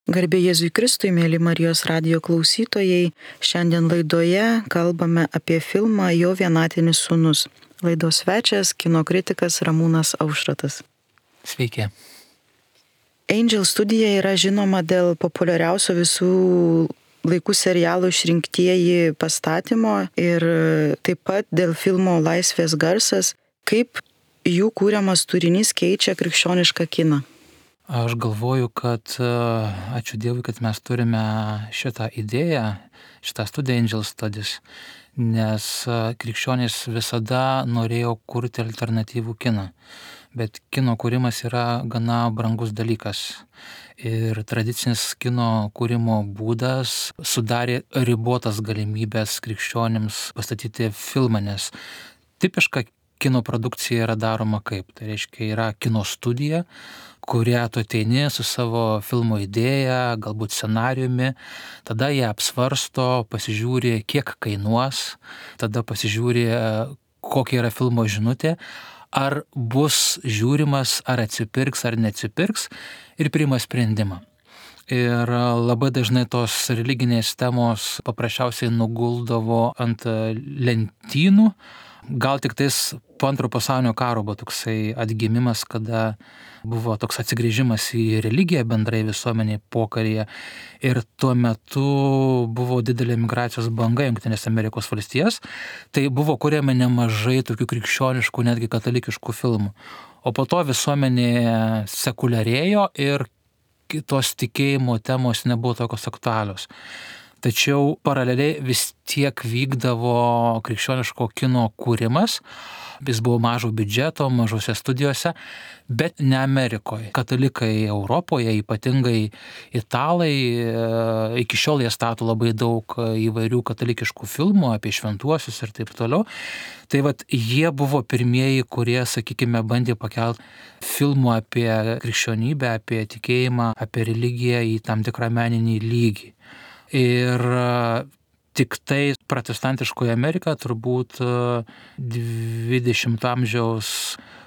Garbė Jėzui Kristui, mėly Marijos radijo klausytojai, šiandien laidoje kalbame apie filmą Jo vienatinis sūnus. Laidos svečias kino kritikas Ramūnas Aušratas. Sveiki. Angel studija yra žinoma dėl populiariausio visų laikų serialų Išrinktieji pastatymo ir taip pat dėl filmo Laisvės garsas, kaip jų kūriamas turinys keičia krikščionišką kiną. Aš galvoju, kad ačiū Dievui, kad mes turime šitą idėją, šitą studiją Angel Studies, nes krikščionys visada norėjo kurti alternatyvų kiną. Bet kino kūrimas yra gana brangus dalykas. Ir tradicinis kino kūrimo būdas sudarė ribotas galimybės krikščionims pastatyti filmą, nes tipiška kino produkcija yra daroma kaip? Tai reiškia, yra kino studija, kurią tu ateini su savo filmo idėja, galbūt scenariumi, tada jie apsvarsto, pasižiūri, kiek kainuos, tada pasižiūri, kokia yra filmo žinutė, ar bus žiūrimas, ar atsipirks, ar neatsipirks ir priima sprendimą. Ir labai dažnai tos religinės temos paprasčiausiai nuguldavo ant lentynų. Gal tik tais po Antro pasaulinio karo buvo toksai atgimimas, kada buvo toks atsigrįžimas į religiją bendrai visuomeniai pokaryje. Ir tuo metu buvo didelė migracijos banga į Jungtines Amerikos valstijas. Tai buvo kuriama nemažai tokių krikščioniškų, netgi katalikiškų filmų. O po to visuomenė sekuliarėjo ir tos tikėjimo temos nebuvo tokios aktualios. Tačiau paraleliai vis tiek vykdavo krikščioniško kino kūrimas. Jis buvo mažo biudžeto, mažose studijose, bet ne Amerikoje. Katalikai Europoje, ypatingai italai, iki šiol jie stato labai daug įvairių katalikiškų filmų apie šventuosius ir taip toliau. Tai jie buvo pirmieji, kurie, sakykime, bandė pakelti filmų apie krikščionybę, apie tikėjimą, apie religiją į tam tikrą meninį lygį. Ir tik tai protestantiškoje Amerikoje turbūt 20 amžiaus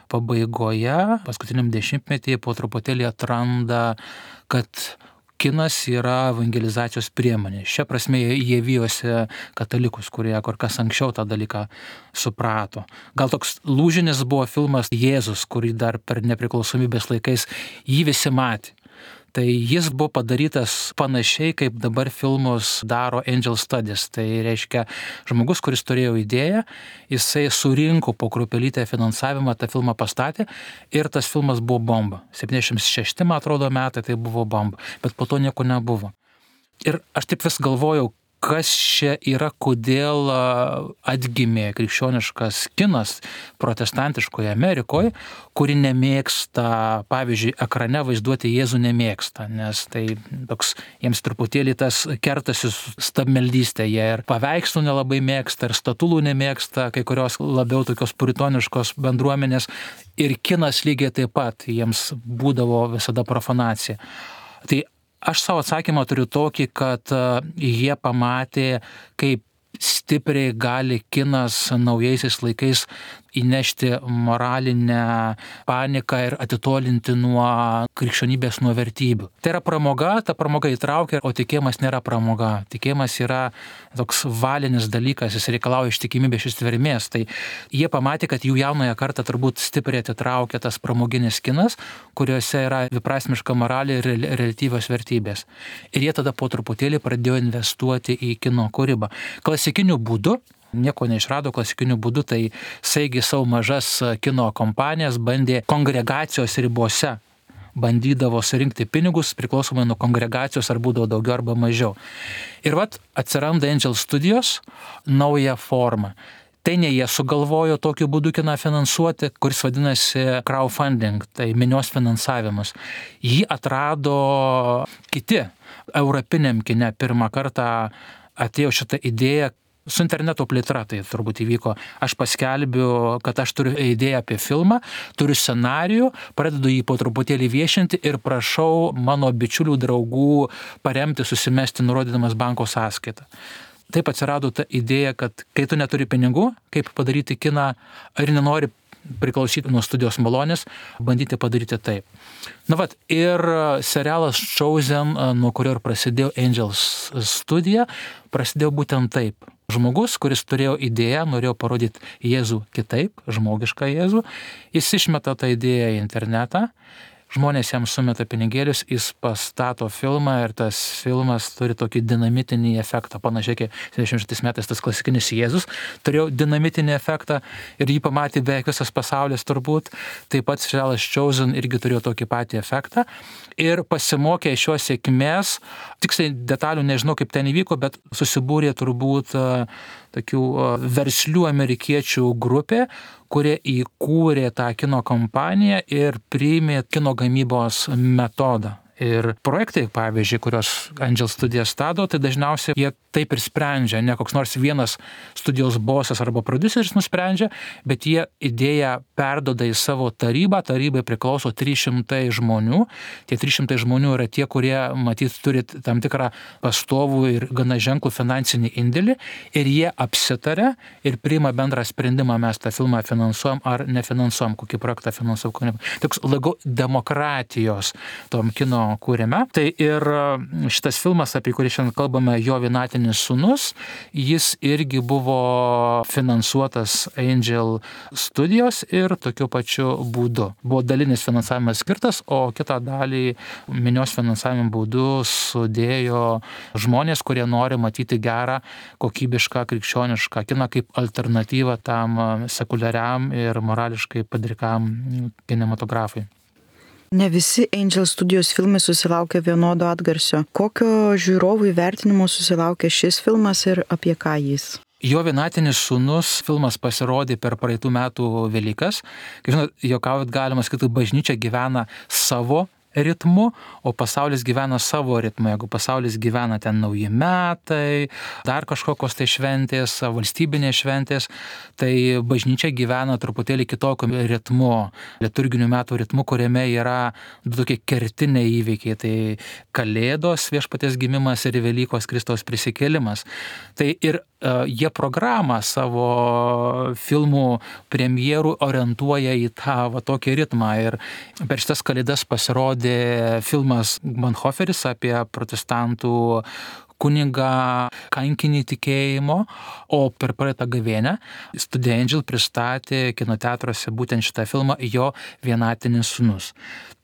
pabaigoje, paskutiniam dešimtmetyje po truputėlį atranda, kad kinas yra evangelizacijos priemonė. Šia prasme jie vijosi katalikus, kurie kur kas anksčiau tą dalyką suprato. Gal toks lūžinis buvo filmas Jėzus, kurį dar per nepriklausomybės laikais jį visi matė. Tai jis buvo padarytas panašiai, kaip dabar filmus daro Angel Studies. Tai reiškia, žmogus, kuris turėjo idėją, jisai surinko po kruopelytę finansavimą, tą filmą pastatė ir tas filmas buvo bomba. 76, man atrodo, metai tai buvo bomba, bet po to nieko nebuvo. Ir aš taip vis galvojau, kas čia yra, kodėl atgimė krikščioniškas kinas protestantiškoje Amerikoje, kuri nemėgsta, pavyzdžiui, ekrane vaizduoti Jėzų nemėgsta, nes tai toks jiems truputėlį tas kertasi stabmeldystė, jie ir paveikslų nelabai mėgsta, ir statulų nemėgsta, kai kurios labiau tokios puritoniškos bendruomenės, ir kinas lygiai taip pat jiems būdavo visada profanacija. Tai aš savo atsakymą turiu tokį, kad jie pamatė, kaip stipriai gali kinas naujaisiais laikais įnešti moralinę paniką ir atitolinti nuo krikščionybės, nuo vertybių. Tai yra pramoga, ta pramoga įtraukia, o tikėjimas nėra pramoga. Tikėjimas yra toks valinis dalykas, jis reikalauja ištikimybės, ištvermės. Tai jie pamatė, kad jų jaunąją kartą turbūt stipriai atitraukia tas pramoginis kinas, kuriuose yra dviprasmiška moralė ir reliatyvios vertybės. Ir jie tada po truputėlį pradėjo investuoti į kino kūrybą. Klasikiniu būdu, nieko neišrado klasikiniu būdu, tai saigi savo mažas kino kompanijas bandė kongregacijos ribose, bandydavo surinkti pinigus priklausomai nuo kongregacijos, ar būdavo daugiau arba mažiau. Ir atsiranda Angel Studios nauja forma. Tai ne jie sugalvojo tokiu būdu kiną finansuoti, kuris vadinasi crowdfunding, tai minios finansavimas. Jį atrado kiti europiniam kine. Pirmą kartą atėjo šitą idėją su interneto plėtra, tai turbūt įvyko. Aš paskelbiu, kad aš turiu idėją apie filmą, turiu scenarijų, pradedu jį po truputėlį viešinti ir prašau mano bičiulių draugų paremti, susimesti, nurodydamas banko sąskaitą. Taip atsirado ta idėja, kad kai tu neturi pinigų, kaip padaryti kiną, ar nenori priklausyti nuo studijos malonės, bandyti padaryti taip. Ir serialas Chosen, nuo kurio ir prasidėjo Angels studija, prasidėjo būtent taip. Žmogus, kuris turėjo idėją, norėjo parodyti Jėzų kitaip, žmogišką Jėzų, jis išmeta tą idėją į internetą, žmonės jam sumeta pinigėlius, jis pastato filmą ir tas filmas turi tokį dinamitinį efektą. Panašiai, kaip 76 metais tas klasikinis Jėzus turėjo dinamitinį efektą ir jį pamatė beveik visas pasaulis turbūt. Taip pat serialas Chosen irgi turėjo tokį patį efektą. Ir pasimokė iš šios sėkmės, tiksliai detalių nežinau, kaip ten įvyko, bet susibūrė turbūt tokių verslių amerikiečių grupė, kurie įkūrė tą kino kompaniją ir priėmė kino gamybos metodą. Ir projektai, pavyzdžiui, kurios Angel studija stato, tai dažniausiai jie taip ir sprendžia, ne koks nors vienas studijos bosas arba prodiuseris nusprendžia, bet jie idėją perduoda į savo tarybą, tarybai priklauso 300 žmonių, tie 300 žmonių yra tie, kurie, matyt, turi tam tikrą pastovų ir gana ženklų finansinį indėlį ir jie apsitarė ir priima bendrą sprendimą, mes tą filmą finansuojam ar nefinansuojam, kokį projektą finansuojam. Toks labiau demokratijos tom kino kūrime. Tai ir šitas filmas, apie kurį šiandien kalbame, Jo vienatinis sūnus, jis irgi buvo finansuotas Angel studijos ir tokiu pačiu būdu. Buvo dalinis finansavimas skirtas, o kitą dalį minios finansavimo būdu sudėjo žmonės, kurie nori matyti gerą, kokybišką, krikščionišką kiną kaip alternatyvą tam sekuliariam ir morališkai padrikam kinematografui. Ne visi Angel studijos filmai susilaukia vienodo atgarsio. Kokio žiūrovų įvertinimo susilaukia šis filmas ir apie ką jis? Jo vienatinis sūnus filmas pasirodė per praeitų metų Velykas. Kaip žinot, juokaujant galima sakyti, bažnyčia gyvena savo ritmu, o pasaulis gyvena savo ritmu. Jeigu pasaulis gyvena ten nauji metai, dar kažkokios tai šventės, valstybinės šventės, tai bažnyčia gyvena truputėlį kitokiu ritmu, liturginių metų ritmu, kuriame yra du tokie kertiniai įvykiai. Tai Kalėdos, Viešpaties gimimas ir Velykos Kristaus prisikėlimas. Tai ir jie programą savo filmų premjerų orientuoja į tą tokį ritmą. Ir per šitas Kalėdas pasirodė filmas Bonhoefferis apie protestantų kunigą kankinį tikėjimo, o per praeitą gavėnią studija Angel pristatė kinoteatruose būtent šitą filmą Jo vienatinis sūnus.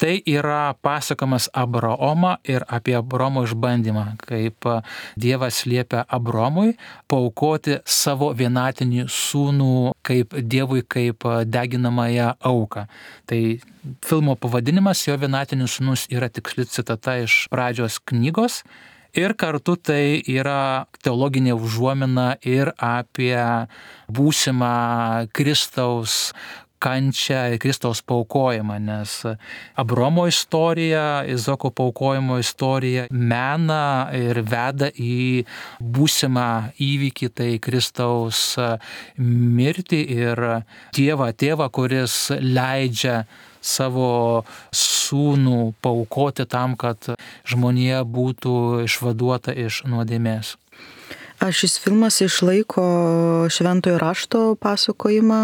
Tai yra pasakojimas Abraomą ir apie Abraomo išbandymą, kaip Dievas liepia Abraomui paaukoti savo vienatinį sūnų kaip Dievui kaip deginamąją auką. Tai filmo pavadinimas Jo vienatinis sūnus yra tiksli citata iš pradžios knygos. Ir kartu tai yra teologinė užuomina ir apie būsimą Kristaus kančią, Kristaus paaukojimą, nes Abraomo istorija, Izaoko paaukojimo istorija mena ir veda į būsimą įvykį, tai Kristaus mirtį ir Tėvą, kuris leidžia savo sūnų paaukoti tam, kad žmonija būtų išvaduota iš nuodėmės. Ar šis filmas išlaiko šventojo rašto pasakojimą?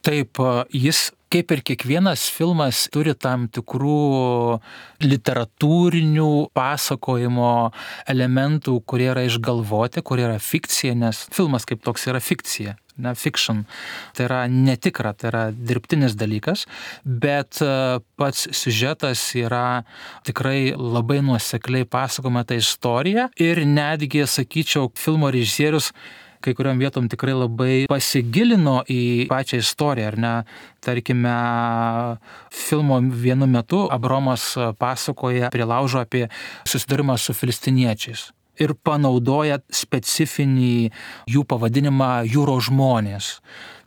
Taip, jis, kaip ir kiekvienas filmas, turi tam tikrų literatūrinių pasakojimo elementų, kurie yra išgalvoti, kurie yra fikcija, nes filmas kaip toks yra fikcija. Fiction. Tai yra netikra, tai yra dirbtinis dalykas, bet pats siužetas yra tikrai labai nuosekliai pasakojama ta istorija ir netgi, sakyčiau, filmo režisierius kai kuriom vietom tikrai labai pasigilino į pačią istoriją, ar ne? Tarkime, filmo vienu metu Abraomas pasakoja prie laužo apie susidūrimą su filistiniečiais ir panaudoja specifinį jų pavadinimą jūros žmonės.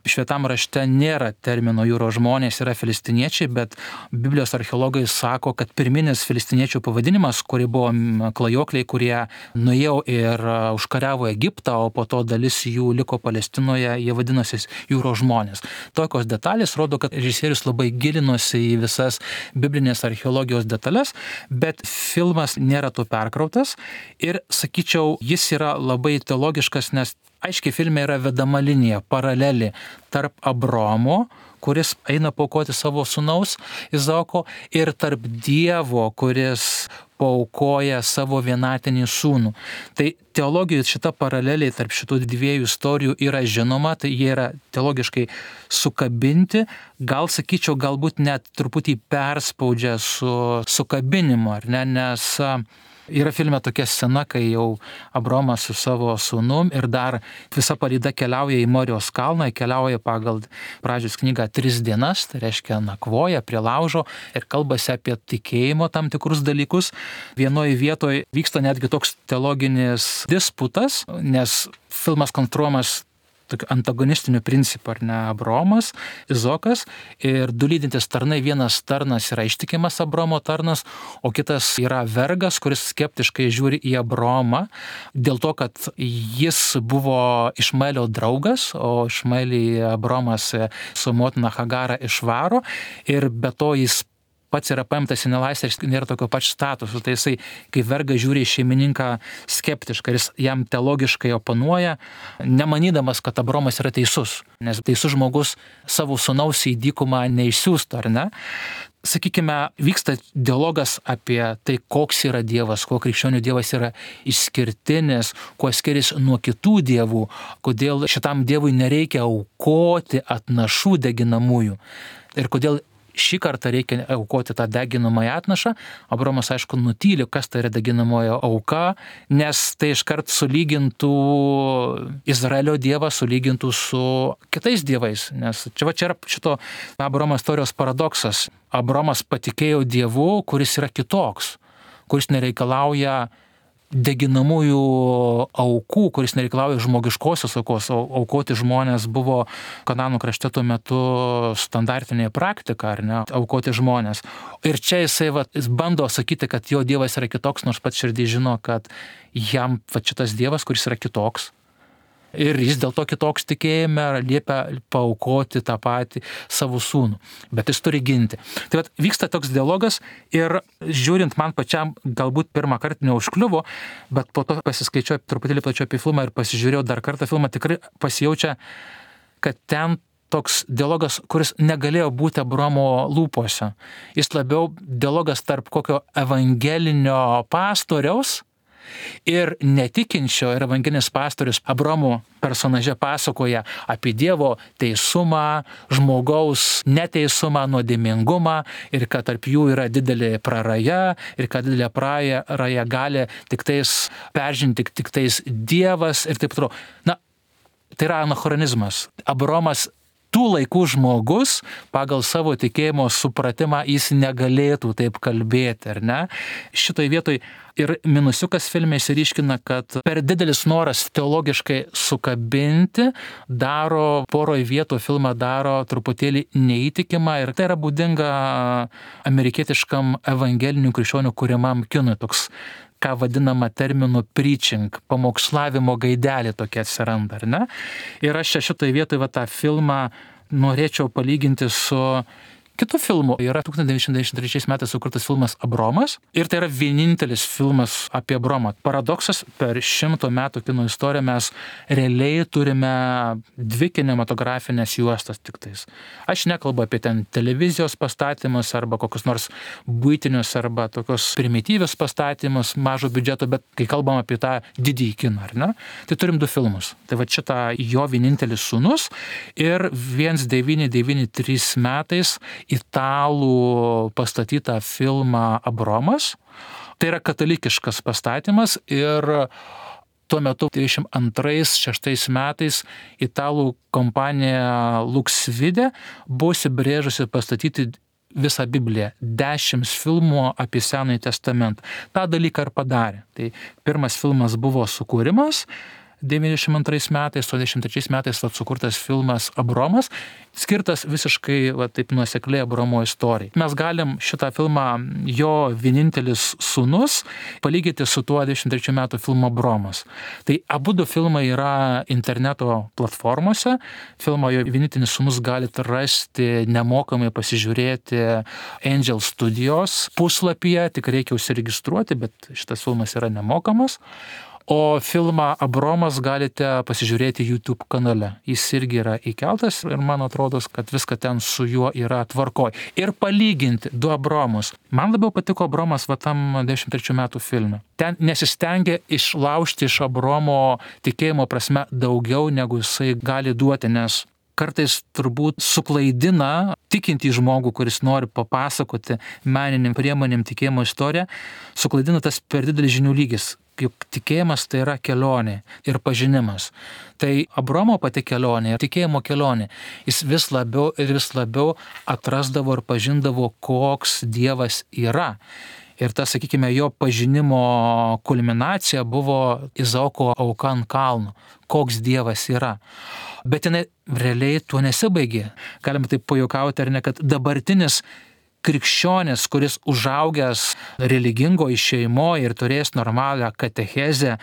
Šventam rašte nėra termino jūros žmonės, yra filistiniečiai, bet Biblijos archeologai sako, kad pirminis filistiniečių pavadinimas, kurie buvo klajokliai, kurie nuėjo ir užkariavo Egiptą, o po to dalis jų liko Palestinoje, jie vadinosi jūros žmonės. Tokios detalės rodo, kad režisierius labai gilinosi į visas biblinės archeologijos detalės, bet filmas nėra to perkrautas ir, sakyčiau, jis yra labai teologiškas, nes aiškiai filme yra vedama linija, paralelė tarp Abraomo, kuris eina paaukoti savo sūnaus Izaoko, ir tarp Dievo, kuris paaukoja savo vienatinį sūnų. Tai teologijoje šita paralelė tarp šitų dviejų istorijų yra žinoma, tai jie yra teologiškai sukabinti, gal sakyčiau, galbūt net truputį perspaudžia su sukabinimu, ar ne, nes yra filme tokia scena, kai jau Abraomas su savo sūnum ir dar visa palyda keliauja į Morijos kalną, keliauja pagal Pradžios knygą 3 dienas, tai reiškia nakvoja prie laužo ir kalbasi apie tikėjimo tam tikrus dalykus. Vienoje vietoje vyksta netgi toks teologinis disputas, nes filmas konstruojamas tokiu antagonistiniu principu, ar ne, Abraomas, Izaokas ir du lydintys tarnai, vienas tarnas yra ištikimas Abraomo tarnas, o kitas yra vergas, kuris skeptiškai žiūri į Abraomą, dėl to, kad jis buvo Išmaelio draugas, o Išmaelį Abraomas su motina Hagara išvaro ir be to jis pats yra paimtas į nelaisvę ir nėra tokio pačio statuso. Tai jisai, kai vergas žiūri į šeimininką skeptiškai, ir jis jam teologiškai oponuoja, nemanydamas, kad Abraomas yra teisus. Nes teisus žmogus savo sūnaus į dykumą neišsiųstų, ar ne? Sakykime, vyksta dialogas apie tai, koks yra Dievas, kuo krikščionių Dievas yra išskirtinis, kuo skiriasi nuo kitų dievų, kodėl šitam Dievui nereikia aukoti atnašų deginamųjų ir kodėl šį kartą reikia aukoti tą deginamąją atnašą. Abraomas, aišku, nutyli, kas tai yra deginamąją auka, nes tai iškart sulygintų Izraelio Dievą, sulygintų su kitais dievais. Nes čia yra šito Abraomo istorijos paradoksas. Abraomas patikėjo Dievu, kuris yra kitoks, kuris nereikalauja deginamųjų aukų, kuris nereikalauja žmogiškosios aukos. Aukoti žmonės buvo Kananų krašte tuo metu standartinė praktika, ar ne, aukoti žmonės. Ir čia jis bando sakyti, kad jo Dievas yra kitoks, nors pats širdį žino, kad jam šitas Dievas, kuris yra kitoks. Ir jis dėl to kitoks tikėjime liepia paaukoti tą patį savo sūnų. Bet jis turi ginti. Tai vyksta toks dialogas ir žiūrint man pačiam galbūt pirmą kartą neužkliuvo, bet po to pasiskaičiau truputėlį plačiau apie filmą ir pasižiūrėjau dar kartą filmą, tikrai pasijaučia, kad ten toks dialogas, kuris negalėjo būti Abraomo lūpose. Jis labiau dialogas tarp kokio evangelinio pastoriaus ir netikinčio, ir evangelinis pastorius Abraomo personaže pasakoja apie Dievo teisumą, žmogaus neteisumą, nuodėmingumą ir kad tarp jų yra didelė praraja ir kad didelė praraja gali tiktais peržengti tiktais Dievas ir taip toliau. Na, tai yra anachronizmas. Abraomas tų laikų žmogus pagal savo tikėjimo supratimą jis negalėtų taip kalbėti, ar ne? Šitoj vietoj ir minusiukas filme išsiryškina, kad per didelis noras teologiškai sukabinti daro poroj vietų filmą daro truputėlį neįtikimą ir tai yra būdinga amerikietiškam evangelinių krikščionių kuriamam kinui, toks ką vadinama terminu preaching, pamokslavimo gaidelė tokia atsiranda, ar ne? Ir aš šitoj vietoj tą filmą norėčiau palyginti su kitų filmų. Yra 1993 metais sukurtas filmas Abraomas ir tai yra vienintelis filmas apie Abraomą. Paradoksas, per 100 metų kino istoriją mes realiai turime 2 kinematografinės juostas tiktais. Aš nekalbu apie ten televizijos pastatymus arba kokius nors buitinius arba tokius primityvius pastatymus mažo biudžeto, bet kai kalbam apie tą didįjį kiną, ar ne? Tai turim 2 filmus. Tai šitą jo vienintelis sūnus ir 1993 metais italų pastatytą filmą Abraomas. Tai yra katalikiškas pastatymas ir tuo metu 1992-1996 metais italų kompanija Luxvide buvo įsibrėžusi pastatyti visą Bibliją, 10 filmų apie Senąjį testamentą. Ta dalyką ir padarė. Tai pirmas filmas buvo Sukūrimas, 92 metais, 93 metais sukurtas filmas Abraomas, skirtas visiškai taip nuosekliai Abraomo istorijai. Mes galim šitą filmą, jo vienintelis sūnus, palyginti su tuo 23 metų filmu Abraomas. Tai abudu filmai yra interneto platformose. Filmo jo vienintelis sūnus galite rasti nemokamai pasižiūrėti Angel Studios puslapyje, tik reikia užsiregistruoti, bet šitas filmas yra nemokamas. O filmą Abromas galite pasižiūrėti YouTube kanale. Jis irgi yra įkeltas ir man atrodo, kad viską ten su juo yra tvarkoj. Ir palyginti du Abromus. Man labiau patiko Abromas tam 93 metų filme. Ten nesistengė išlaužti iš Abromo tikėjimo prasme daugiau, negu jisai gali duoti, nes kartais turbūt suklaidina tikintį žmogų, kuris nori papasakoti meniniam priemonėm tikėjimo istoriją, suklaidina tas per didelis žinių lygis. Juk tikėjimas tai yra kelionė ir pažinimas. Tai Abromo pati kelionė, tikėjimo kelionė, jis vis labiau ir vis labiau atrasdavo ir pažindavo, koks Dievas yra. Ir ta, sakykime, jo pažinimo kulminacija buvo Izaoko auka ant kalno, koks Dievas yra. Bet jinai realiai tuo nesibaigė. Galime taip pajuokauti, ar ne, kad dabartinis krikščionis, kuris užaugęs religingoje šeimoje ir turės normalią katechezę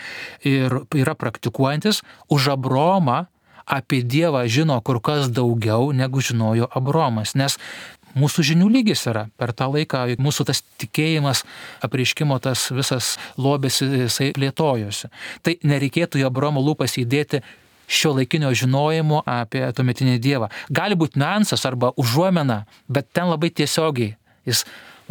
ir yra praktikuojantis, už Abromą apie Dievą žino kur kas daugiau, negu žinojo Abromas. Nes mūsų žinių lygis yra. Per tą laiką mūsų tas tikėjimas, apreiškimo tas visas lobis, jisai plėtojosi. Tai nereikėtų į Abromo lūpas įdėti šio laikinio žinojimo apie tuometinį Dievą. Gali būti niuansas arba užuomena, bet ten labai tiesiogiai. Jis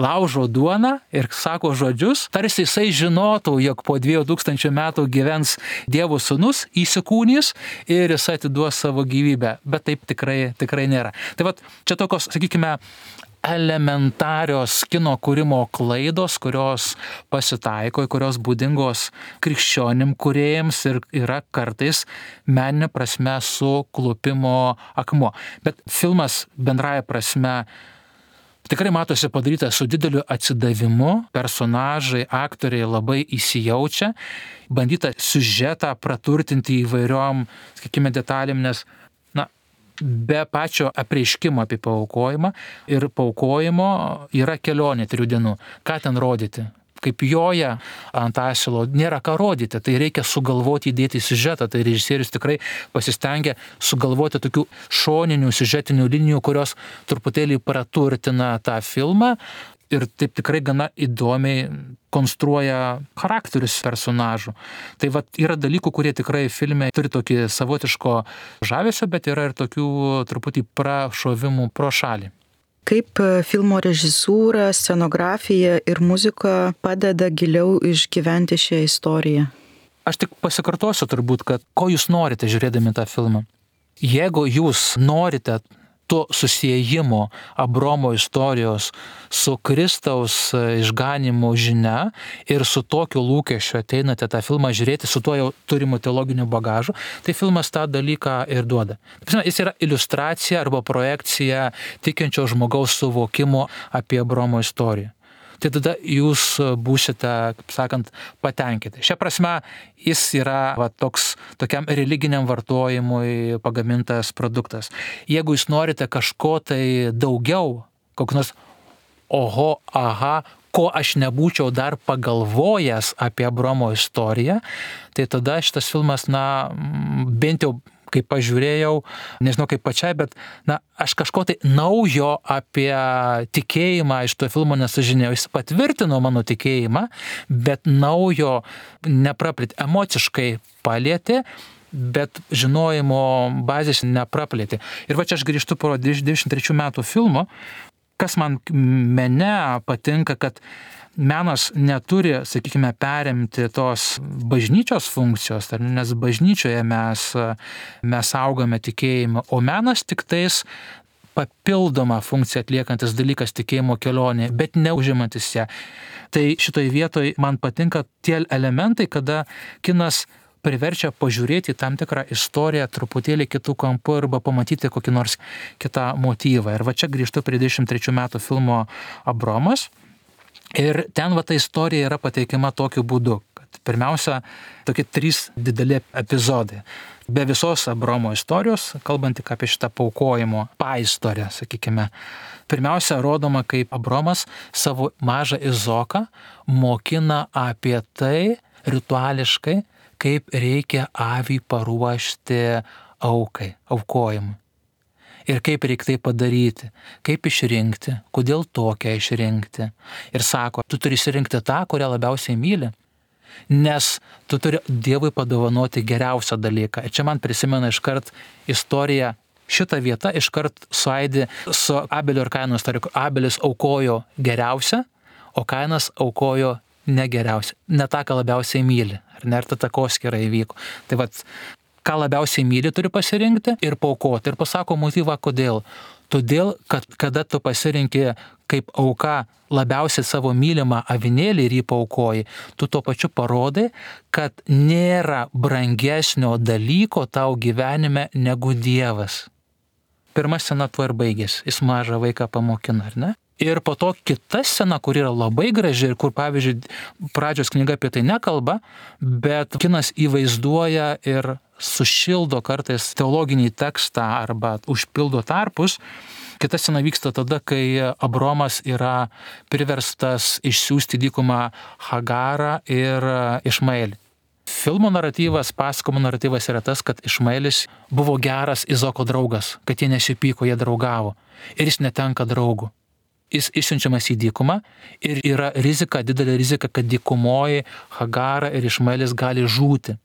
laužo duoną ir sako žodžius, tarsi jisai žinotų, jog po 2000 metų gyvens Dievo sūnus, įsikūnys ir jis atiduos savo gyvybę. Bet taip tikrai nėra. Tai vat, čia tokios, sakykime, elementarios kino kūrimo klaidos, kurios pasitaiko, kurios būdingos krikščionim kūrėjams ir yra kartais meninė prasme suklupimo akmuo. Bet filmas bendraja prasme tikrai matosi padaryta su dideliu atsidavimu, personažai, aktoriai labai įsijaučia, bandyta siužetą praturtinti įvairiom, sakykime, detalėm, nes be pačio apreiškimo apie paaukojimą ir paaukojimo yra kelionė 3 dienų. Ką ten rodyti? Kaip joja ant asilo, nėra ką rodyti, tai reikia sugalvoti, įdėti į siužetą. Tai režisierius tikrai pasistengia sugalvoti tokių šoninių siužetinių linijų, kurios truputėlį praturtina tą filmą ir taip tikrai gana įdomiai konstruoja charakterius personažų. Tai vat yra dalykų, kurie tikrai filme turi tokį savotiško žavesio, bet yra ir tokių truputį prašovimų pro šalį. Kaip filmo režisūra, scenografija ir muzika padeda giliau išgyventi šią istoriją? Aš tik pasikartosiu turbūt, kad ko jūs norite žiūrėdami tą filmą. Jeigu jūs norite to susiejimo Abromo istorijos su Kristaus išganimo žinia ir su tokiu lūkesčiu ateinate tą filmą žiūrėti, su tuo jau turimu teologiniu bagažu, tai filmas tą dalyką ir duoda. Jis yra iliustracija arba projekcija tikinčio žmogaus suvokimo apie Abromo istoriją. Tai tada jūs būsite, kaip sakant, patenkinti. Šia prasme, jis yra tokiam religiniam vartojimui pagamintas produktas. Jeigu jūs norite kažko tai daugiau, kokį nors oho, aha, ko aš nebūčiau dar pagalvojęs apie Abromo istoriją, tai tada šitas filmas, bent jau kaip pažiūrėjau, nežinau kaip pačiai, bet aš kažko tai naujo apie tikėjimą iš to filmo nesužinėjau. Jis patvirtino mano tikėjimą, bet naujo nepraplėtė, emociškai palėtė, bet žinojimo bazės nepraplėtė. Ir va čia aš grįžtu po 23 metų filmo, kas man mene patinka, kad menas neturi, sakykime, perimti tos bažnyčios funkcijos, nes bažnyčioje mes augame tikėjimą, o menas tik tais papildoma funkcija atliekantis dalykas tikėjimo kelionė, bet neužimantis ją. Tai šitoj vietoj man patinka tie elementai, kada kinas priverčia pažiūrėti tam tikrą istoriją truputėlį kitų kampų arba pamatyti kokį nors kitą motyvą. Ir va čia grįžtu prie 23 metų filmo Abromas. Ir ten ta istorija yra pateikiama tokiu būdu, kad pirmiausia, tokie 3 dideli epizodai. Be visos Abromo istorijos, kalbant tik apie šitą paaukojimo paistoriją, sakykime. Pirmiausia, rodoma, kaip Abromas savo mažą Izaoką mokina apie tai rituališkai, kaip reikia avį paruošti aukai, aukojimui. Ir kaip reikia tai padaryti, kaip išrinkti, kodėl tokią išrinkti. Ir sako, tu turi išrinkti tą, kurią labiausiai myli. nes tu turi Dievui padovanoti geriausią dalyką. Ir čia man prisimena iškart istoriją, šitą vietą iškart suaidi su Abelio ir Kaino istorija. Abelis aukojo geriausią, o Kainas aukojo negeriausią. Ne tą, ką labiausiai myli. Ar ne, ir ta takoskyra įvyko. Tai vat, ką labiausiai myli turi pasirinkti ir paaukoti. Ir pasako motyvą, kodėl. Todėl, kad kada tu pasirinki kaip auka labiausiai savo mylimą avinėlį ir jį paaukoji, tu tuo pačiu parodai, kad nėra brangesnio dalyko tau gyvenime negu Dievas. Pirma scena tuo ir baigėsi. Jis mažą vaiką pamokina, ar ne? Ir po to kita scena, kur yra labai graži ir kur, pavyzdžiui, pradžios knyga apie tai nekalba, bet kinas įvaizduoja ir sušildo kartais teologinį tekstą arba užpildo tarpus. Kita scena vyksta tada, kai Abromas yra priverstas išsiųsti dykumą Hagarą ir Išmaelį. Filmo naratyvas, pasakojimo naratyvas yra tas, kad Išmaelis buvo geras Izoko draugas, kad jie nesipyko, jie draugavo. Ir jis netenka draugų. Jis išsiunčiamas į dykumą ir yra rizika, didelė rizika, kad dykumoji Hagara ir Išmaelis gali žūti,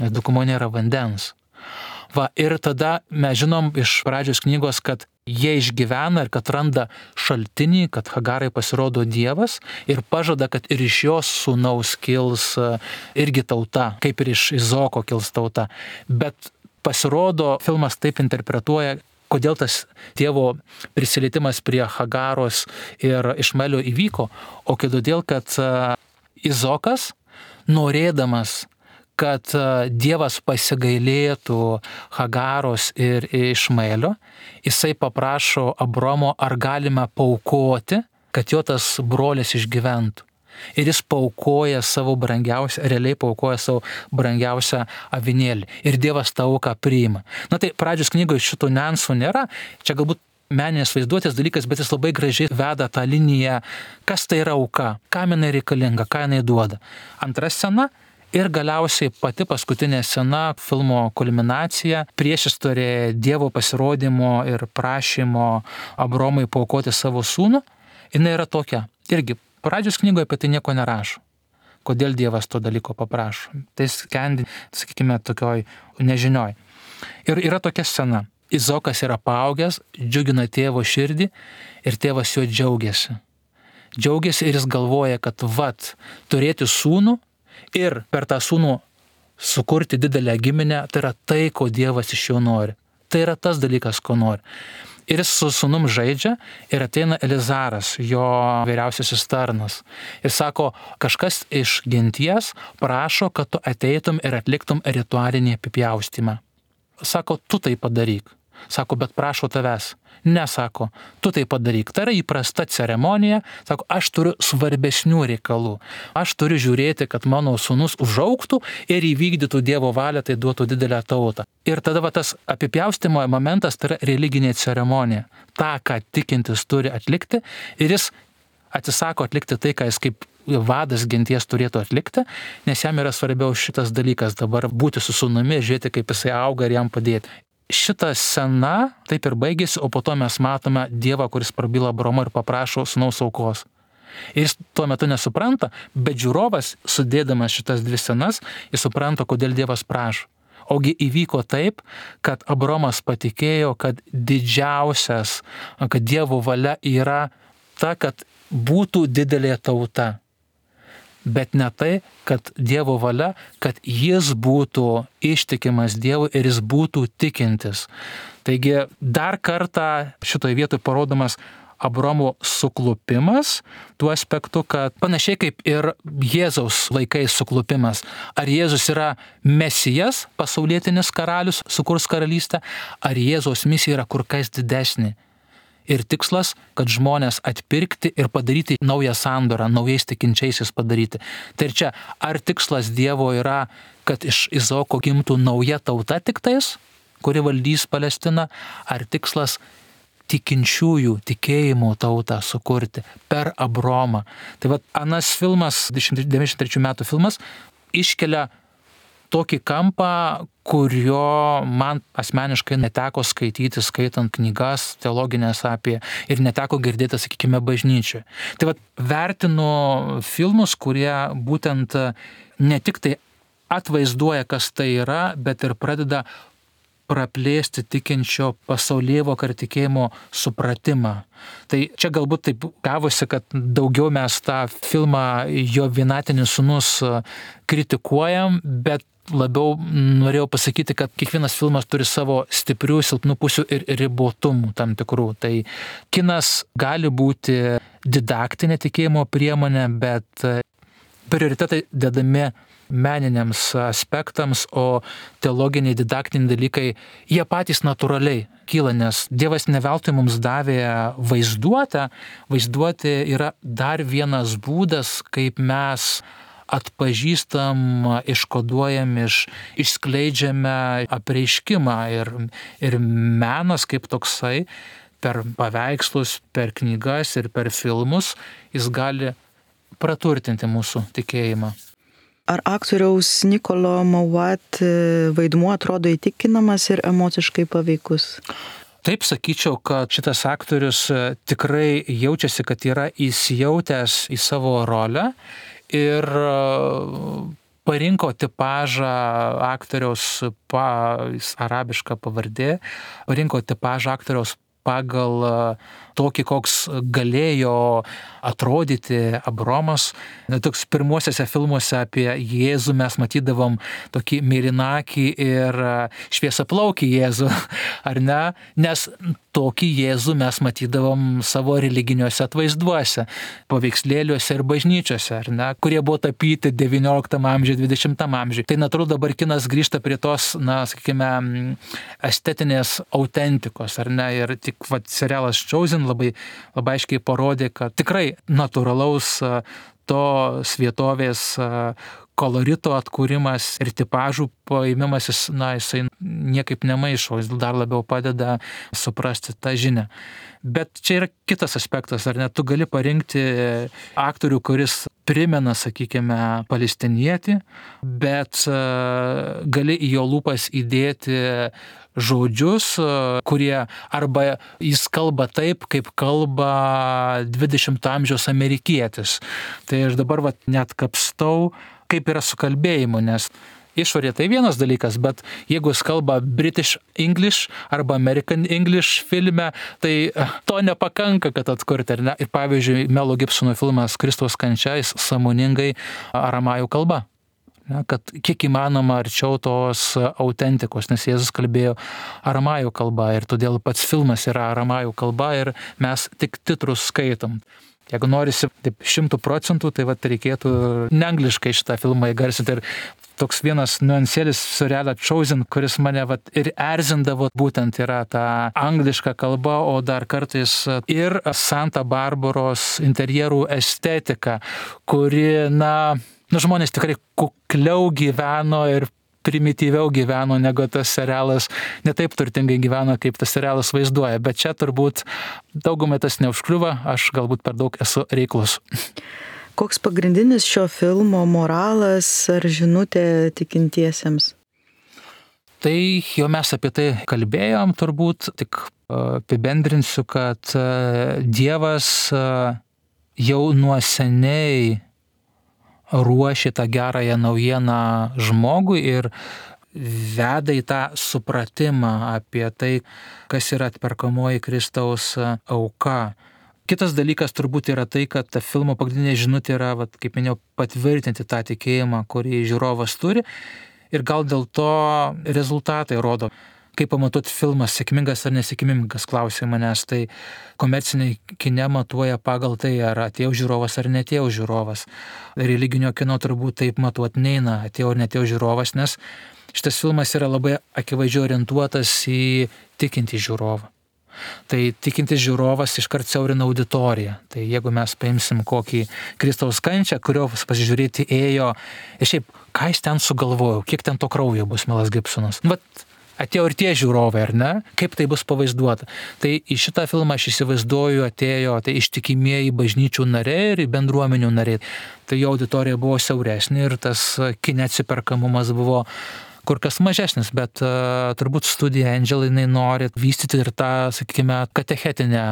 nes dykumoje nėra vandens. Va, ir tada mes žinom iš pradžios knygos, kad jie išgyvena ir kad randa šaltinį, kad Hagarai pasirodo Dievas ir pažada, kad ir iš jos sūnaus kils irgi tauta, kaip ir iš Izoko kils tauta. Bet pasirodo, filmas taip interpretuoja, kodėl tas Dievo prisilietimas prie Hagaros ir Išmaelio įvyko, o todėl, kad Izokas, norėdamas, kad Dievas pasigailėtų Hagaros ir Išmaelio, jisai paprašo Abromo, ar galima paaukoti, kad jo tas brolis išgyventų. Ir jis paaukoja savo brangiausią, realiai paaukoja savo brangiausią avinėlį. Ir Dievas tą auką priima. Na tai pradžios knygoje šito niuansų nėra, čia galbūt meninės vaizduotės dalykas, bet jis labai gražiai veda tą liniją, kas tai yra auka, kam jinai reikalinga, ką jinai duoda. Antra scena. Ir galiausiai pati paskutinė scena, filmo kulminacija, priešistorė Dievo pasirodymo ir prašymo Abromui paaukoti savo sūnų, jinai yra tokia. Irgi pradžios knygoje apie tai nieko nerašo. Kodėl Dievas to dalyko paprašo. Tai skendi, sakykime, tokioj nežinioj. Ir yra tokia scena. Izokas yra paaugęs, džiugina tėvo širdį ir tėvas juo džiaugiasi. Džiaugiasi ir jis galvoja, kad turėti sūnų ir per tą sūnų sukurti didelę giminę, tai yra tai, ko Dievas iš jo nori. Tai yra tas dalykas, ko nori. Ir jis su sūnum žaidžia ir ateina Elizaras, jo vyriausiasis tarnas. Ir sako, kažkas iš genties prašo, kad tu ateitum ir atliktum ritualinį apipjaustymą. Sako, tu tai padaryk. Sako, bet prašau tavęs. Ne, sako, tu tai padaryk. Tai yra įprasta ceremonija. Sako, aš turiu svarbesnių reikalų. Aš turiu žiūrėti, kad mano sūnus užaugtų ir įvykdytų Dievo valią, tai duotų didelę tautą. Ir tada tas apipjaustimo momentas tai yra religinė ceremonija. Ta, ką tikintis turi atlikti, ir jis atsisako atlikti tai, ką jis kaip vadas genties turėtų atlikti, nes jam yra svarbiau šitas dalykas dabar būti su sūnumi, žiūrėti, kaip jisai auga ir jam padėti. Šita scena taip ir baigėsi, o po to mes matome Dievą, kuris prabyla Abromą ir paprašo sūnaus aukos. Ir jis tuo metu nesupranta, bet žiūrovas, sudėdamas šitas dvi scenas, jis supranta, kodėl Dievas prašo. Ogi įvyko taip, kad Abromas patikėjo, kad didžiausias, kad Dievo valia yra ta, kad būtų didelė tauta. Bet ne tai, kad Dievo valia, kad jis būtų ištikimas Dievui ir jis būtų tikintis. Taigi dar kartą šitoje vietoje parodomas Abromo suklupimas tuo aspektu, kad panašiai kaip ir Jėzaus laikais suklupimas. Ar Jėzus yra Mesijas, pasaulietinis karalius, sukurs karalystę, ar Jėzaus misija yra kur kas didesnė. Ir tikslas, kad žmonės atpirkti ir padaryti naują sandorą, naujais tikinčiaisiais padaryti. Tai ir čia, ar tikslas Dievo yra, kad iš Izoko gimtų nauja tauta tiktais, kuri valdys Palestiną, ar tikslas tikinčiųjų tikėjimo tautą sukurti per Abromą. Tai anas filmas, 93 metų filmas, iškelia tokį kampą, kurio man asmeniškai neteko skaityti, skaitant knygas teologinės apie ir neteko girdėti, sakykime, bažnyčioje. Tai vertinu filmus, kurie būtent ne tik tai atvaizduoja, kas tai yra, bet ir pradeda praplėsti tikinčio pasaulėvoką ir tikėjimo supratimą. Tai čia galbūt taip gavosi, kad daugiau mes tą filmą Jo vienatinis sūnus kritikuojam, bet labiau norėjau pasakyti, kad kiekvienas filmas turi savo stiprių, silpnų pusių ir ribotumų tam tikrų. Tai kinas gali būti didaktinė tikėjimo priemonė, bet prioritetai dedami meniniams aspektams, o teologiniai, didaktiniai dalykai, jie patys natūraliai kyla, nes Dievas ne veltui mums davė vaizduotę. Vaizduotė yra dar vienas būdas, kaip mes atpažįstam, iškoduojam, išskleidžiame apreiškimą ir menas kaip toksai per paveikslus, per knygas ir per filmus, jis gali praturtinti mūsų tikėjimą. Ar aktoriaus Nicolo Mauat vaidmuo atrodo įtikinamas ir emociškai paveikus? Taip sakyčiau, kad šitas aktorius tikrai jaučiasi, kad yra įsijautęs į savo rolę ir parinko tipažą aktoriaus, arabiška pavardė, parinko tipažą aktoriaus pagal tokį, koks galėjo atrodyti Abromas. Toks pirmuosiuose filmuose apie Jėzų mes matydavom tokį mėlynakį ir šviesiaplaukį Jėzų, ar ne? Nes tokį Jėzų mes matydavom savo religiniuose atvaizduose, paveikslėliuose ir bažnyčiose, ar ne? Kurie buvo tapyti 19 amžiuje, 20 amžiuje. Tai natūralu dabar kinas grįžta prie tos, sakykime, estetinės autentikos, ar ne? Ir tik serialas Chosen labai aiškiai parodė, kad tikrai natūralaus tos vietovės kolorito atkūrimas ir tipažų paėmimas, jisai niekaip nemaišo, jis dar labiau padeda suprasti tą žinią. Bet čia yra kitas aspektas, ar ne? Tu gali parinkti aktorių, kuris primena, sakykime, palestinietį, bet gali į jo lūpas įdėti žodžius, kurie arba jis kalba taip, kaip kalba 20 amžiaus amerikietis. Tai aš dabar net kapstau, kaip yra su kalbėjimu, nes išorė tai vienas dalykas, bet jeigu jis kalba British English arba American English filme, tai to nepakanka, kad atkurti, ar ne? Ir pavyzdžiui, Melo Gibsono filmas Kristaus kančia, jis sąmoningai aramajų kalba. Kad kiek įmanoma arčiau tos autentikos, nes Jėzus kalbėjo aramajų kalba ir todėl pats filmas yra aramajų kalba ir mes tik titrus skaitom. Jeigu norisi taip 100%, tai reikėtų neangliškai šitą filmą įgarsinti. Ir toks vienas niuansėlis serialą Chosen, kuris mane ir erzindavo, būtent yra ta angliška kalba, o dar kartais ir Santa Barbaros interjerų estetika, kuri, žmonės tikrai kukliau gyveno ir primityviau gyveno, negu tas serialas, ne taip turtingai gyveno, kaip tas serialas vaizduoja. Bet čia turbūt daugumai tas neužkliuva, aš galbūt per daug esu reiklus. Koks pagrindinis šio filmo moralas ar žinutė tikintiesiems? Tai jau mes apie tai kalbėjom, turbūt tik apibendrinsiu, kad Dievas jau nuo seniai ruošia tą gerąją naujieną žmogui ir veda į tą supratimą apie tai, kas yra atperkamoji Kristaus auka. Kitas dalykas turbūt yra tai, kad ta filmo pagrindinė žinutė yra, kaip minėjau, patvirtinti tą tikėjimą, kurį žiūrovas turi, ir gal dėl to rezultatai rodo. Kaip pamatuoti filmas sėkmingas ar nesėkmingas, klausė manęs, tai komerciniai kine matuoja pagal tai, ar atėjo žiūrovas ar netėjo žiūrovas. Religinio kino turbūt taip matuoti neina, atėjo ar netėjo žiūrovas, nes šitas filmas yra labai akivaizdžiai orientuotas į tikintį žiūrovą. Tai tikintis žiūrovas iškart siaurina auditoriją. Tai jeigu mes paimsim kokį Kristaus kančią, kurio pasižiūrėti ėjo, ir šiaip, ką jis ten sugalvojo, kiek ten to kraujo bus Melas Gibsonas. Atėjo ir tie žiūrovai, ar ne? Kaip tai bus pavaizduota? Tai į šitą filmą aš įsivaizduoju atėjo ištikimieji bažnyčių nariai ir bendruomenių nariai. Tai jo auditorija buvo siauresnė ir tas kine atsiperkamumas buvo kur kas mažesnis, bet turbūt studija Angel jinai nori vystyti ir tą, sakykime, katechetinę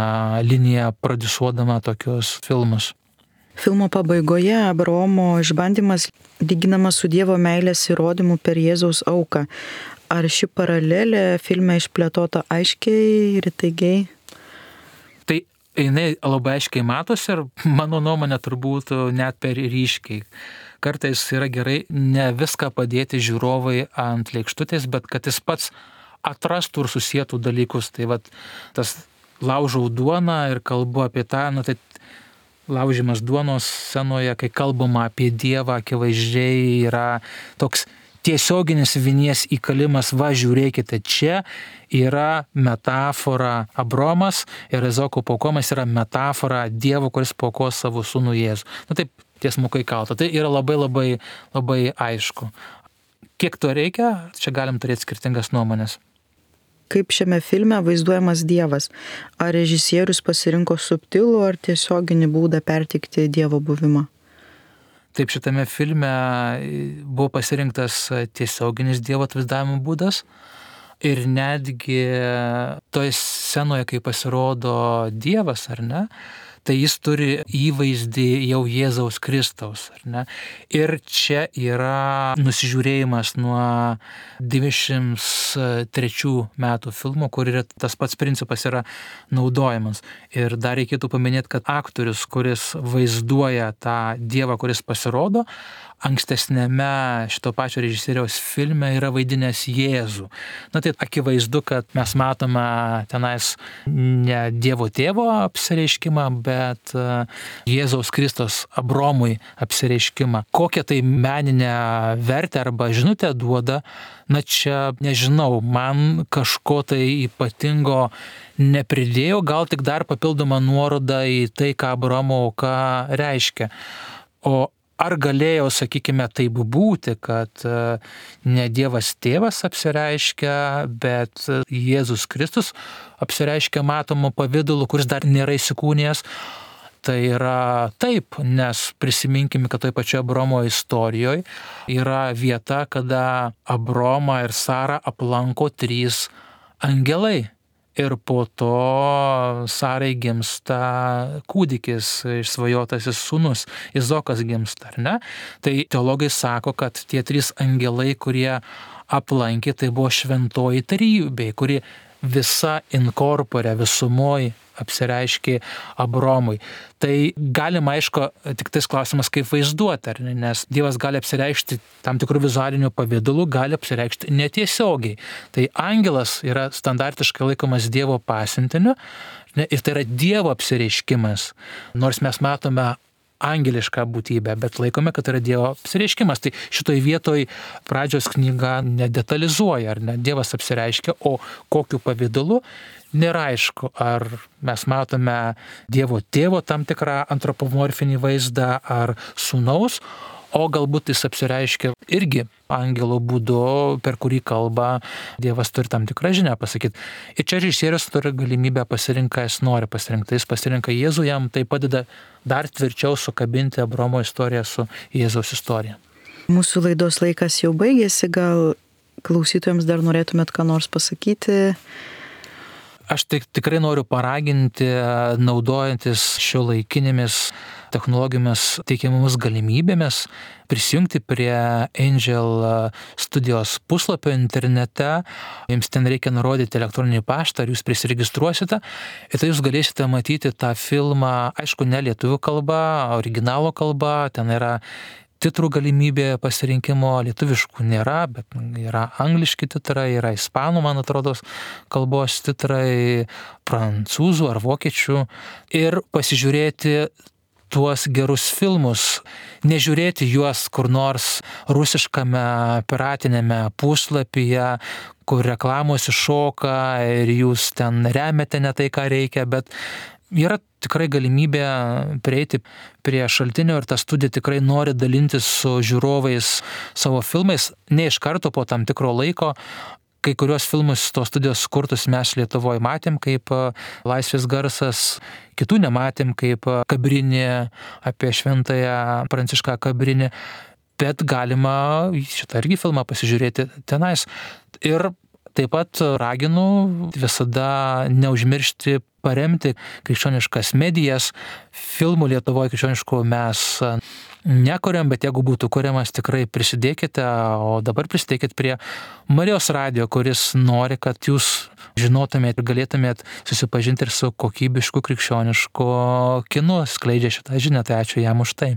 liniją prodiusuodama tokius filmus. Filmo pabaigoje Abraomo išbandymas lyginamas su Dievo meilės įrodymu per Jėzaus auką. Ar ši paralelė filme išplėtota aiškiai ir įtaigiai? Tai jinai labai aiškiai matosi ir mano nuomonė turbūt net per ryškiai. Kartais yra gerai ne viską padėti žiūrovai ant lėkštutės, bet kad jis pats atrastų ir susietų dalykus. Tai vat tas laužau duoną ir kalbu apie tą, tai laužimas duonos scenoje, kai kalbama apie Dievą, akivaizdžiai yra toks tiesioginis vinies įkalimas, va žiūrėkite, čia yra metafora Abraomas ir Izaoko paukojimas yra metafora Dievo, kuris paukos savo sūnų Jėzų. Taip tiesmukai kalta. Tai yra labai aišku. Kiek to reikia, čia galim turėti skirtingas nuomonės. Kaip šiame filme vaizduojamas Dievas? Ar režisierius pasirinko subtilų ar tiesioginį būdą perteikti Dievo buvimą? Taip, šitame filme buvo pasirinktas tiesioginis Dievo atvaizdavimo būdas ir netgi toje scenoje, kai pasirodo Dievas, ar ne, tai jis turi įvaizdį jau Jėzaus Kristaus, ar ne? Ir čia yra nusižiūrėjimas nuo 93 metų filmo, kur yra tas pats principas yra naudojamas. Ir dar reikėtų paminėti, kad aktorius, kuris vaizduoja tą Dievą, kuris pasirodo, ankstesnėme šito pačio režisieriaus filme yra vaidinęs Jėzų. Tai akivaizdu, kad mes matome tenais ne Dievo tėvo apsireiškimą, bet Jėzaus Kristos Abromui apsireiškimą. Kokią tai meninę vertę arba žinutę duoda, čia nežinau, man kažko tai ypatingo nepridėjo, gal tik dar papildoma nuoroda į tai, ką Abraomo auka reiškia. O ar galėjo, sakykime, taip būti, kad ne Dievas tėvas apsireiškia, bet Jėzus Kristus apsireiškia matomu pavidalu, kuris dar nėra įsikūnijęs? Tai yra taip, nes prisiminkime, kad toj pačioje Abraomo istorijoje yra vieta, kada Abraomą ir Sarą aplanko 3 angelai. Ir po to Sarai gimsta kūdikis, išsvajotasis sūnus, Izaokas gimsta, ar ne? Tai teologai sako, kad tie 3 angelai, kurie aplankė, tai buvo šventoji trejybė, kuri visa inkorpore, visumoj apsireiškė Abromui. Tai galima, aišku, tik tais klausimas, kaip vaizduoti, ar ne? Nes Dievas gali apsireikšti tam tikrų vizualinių pavydalų, gali apsireikšti netiesiogiai. Tai angelas yra standartiškai laikomas Dievo pasiuntiniu ir tai yra Dievo apsireiškimas. Nors mes matome angelišką būtybę, bet laikome, kad tai yra Dievo apsireiškimas. Tai šitoj vietoj pradžios knyga nedetalizuoja, ar ne? Dievas apsireiškia, o kokiu pavidalu nėra aišku, ar mes matome Dievo tėvo tam tikrą antropomorfinį vaizdą, ar sūnaus, o galbūt jis apsireiškia irgi angelo būdu, per kurį kalba Dievas turi tam tikrą žinią pasakyti. Ir čia režisierius turi galimybę pasirinkti, ką jis nori pasirinkti. Jis pasirinka Jėzų, jam tai padeda dar tvirčiau sukabinti Abraomo istoriją su Jėzaus istorija. Mūsų laidos laikas jau baigėsi, gal klausytojams dar norėtumėt ką nors pasakyti? Aš tikrai noriu paraginti, naudojantis šiuolaikinėmis technologijomis teikiamomis galimybėmis, prisijungti prie Angel studijos puslapio internete. Jums ten reikia nurodyti elektroninį paštą, ar jūs prisiregistruosite. Ir tai jūs galėsite matyti tą filmą, aišku, ne lietuvių kalba, originalo kalba. Ten yra titrų galimybė pasirinkimo, lietuviškų nėra, bet yra angliški titrai, yra ispanų, man atrodo, kalbos titrai, prancūzų ar vokiečių. Ir pasižiūrėti tuos gerus filmus, nežiūrėti juos kur nors rusiškame piratinėme puslapyje, kur reklamos iššoka ir jūs ten remiate ne tai, ką reikia, bet yra tikrai galimybė prieiti prie šaltinio ir ta studija tikrai nori dalintis su žiūrovais savo filmais, ne iš karto po tam tikro laiko. Kai kurios filmus tos studijos kurtus mes Lietuvoje matėm kaip Laisvės garsas, kitų nematėm kaip Kabrinį, apie šventąją Prancišką Kabrinį, bet galima šitą irgi filmą pasižiūrėti tenais. Ir Taip pat raginu visada neužmiršti paremti krikščioniškas medijas. Filmų Lietuvoje krikščioniškų mes nekuriam, bet jeigu būtų kuriamas, tikrai prisidėkite, o dabar prisidėkit prie Marijos radijo, kuris nori, kad jūs žinotumėt ir galėtumėt susipažinti ir su kokybišku krikščionišku kinu, skleidžia šitą žinią, tai ačiū jam už tai.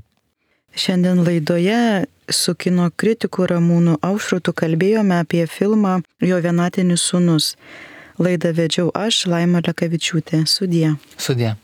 Šiandien laidoje su kino kritiku Ramūnu Aušrotu kalbėjome apie filmą Jo vienatinis sūnus. Laidą vedžiau aš, Laima Lekavičiūtė. Sudie. Sudie.